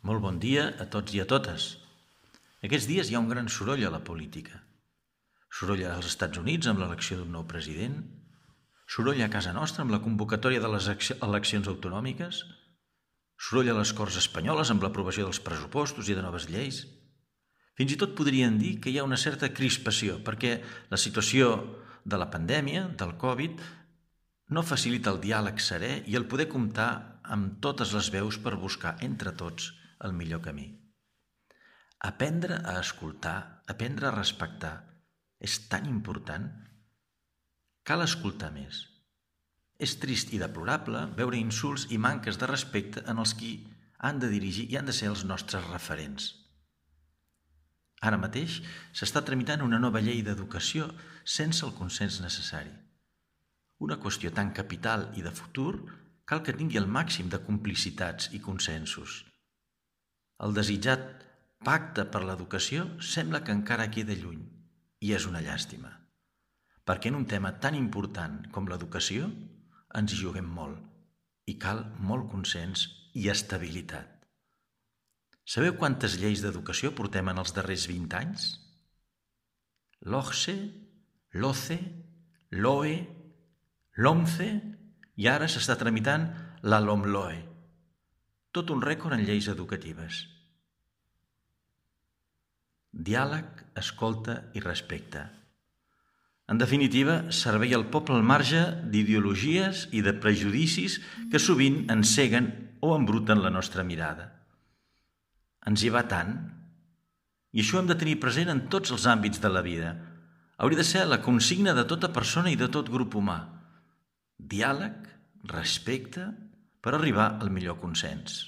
Molt bon dia a tots i a totes. Aquests dies hi ha un gran soroll a la política. Soroll als Estats Units amb l'elecció d'un nou president, soroll a casa nostra amb la convocatòria de les eleccions autonòmiques, soroll a les Corts espanyoles amb l'aprovació dels pressupostos i de noves lleis. Fins i tot podrien dir que hi ha una certa crispació perquè la situació de la pandèmia, del Covid, no facilita el diàleg serè i el poder comptar amb totes les veus per buscar entre tots el millor camí. Aprendre a escoltar, aprendre a respectar, és tan important. Cal escoltar més. És trist i deplorable veure insults i manques de respecte en els qui han de dirigir i han de ser els nostres referents. Ara mateix s'està tramitant una nova llei d'educació sense el consens necessari. Una qüestió tan capital i de futur cal que tingui el màxim de complicitats i consensos. El desitjat pacte per l'educació sembla que encara queda lluny i és una llàstima, perquè en un tema tan important com l'educació ens hi juguem molt i cal molt consens i estabilitat. Sabeu quantes lleis d'educació portem en els darrers 20 anys? L'OCSE, l'OCE, l'OE, l'OMCE i ara s'està tramitant la LOMLOE. Tot un rècord en lleis educatives. Diàleg, escolta i respecte. En definitiva, servei al poble al marge d'ideologies i de prejudicis que sovint enceguen o embruten la nostra mirada. Ens hi va tant. I això hem de tenir present en tots els àmbits de la vida. Hauria de ser la consigna de tota persona i de tot grup humà. Diàleg, respecte, per arribar al millor consens.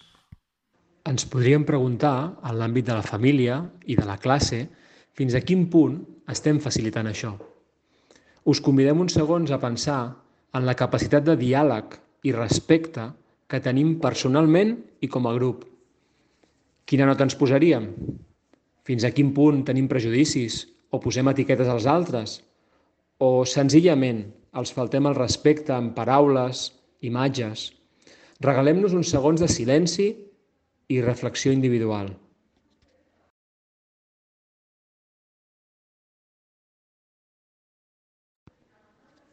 Ens podríem preguntar, en l'àmbit de la família i de la classe, fins a quin punt estem facilitant això. Us convidem uns segons a pensar en la capacitat de diàleg i respecte que tenim personalment i com a grup. Quina nota ens posaríem? Fins a quin punt tenim prejudicis o posem etiquetes als altres? O senzillament els faltem el respecte amb paraules, imatges? Regalem-nos uns segons de silenci i reflexió individual.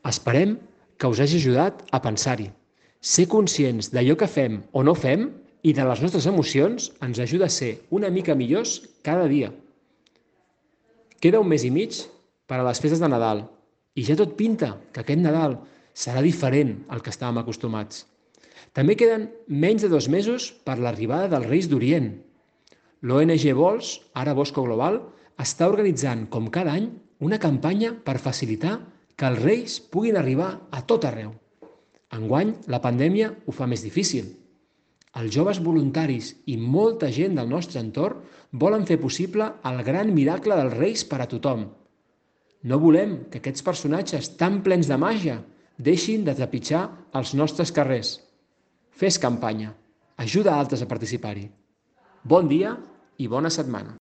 Esperem que us hagi ajudat a pensar-hi. Ser conscients d'allò que fem o no fem i de les nostres emocions ens ajuda a ser una mica millors cada dia. Queda un mes i mig per a les festes de Nadal i ja tot pinta que aquest Nadal serà diferent al que estàvem acostumats. També queden menys de 2 mesos per l'arribada dels Reis d'Orient. L'ONG Vols, ara Bosco Global, està organitzant, com cada any, una campanya per facilitar que els Reis puguin arribar a tot arreu. Enguany, la pandèmia ho fa més difícil. Els joves voluntaris i molta gent del nostre entorn volen fer possible el gran miracle dels Reis per a tothom. No volem que aquests personatges tan plens de màgia deixin de trepitjar els nostres carrers. Fes campanya. Ajuda altres a participar-hi. Bon dia i bona setmana.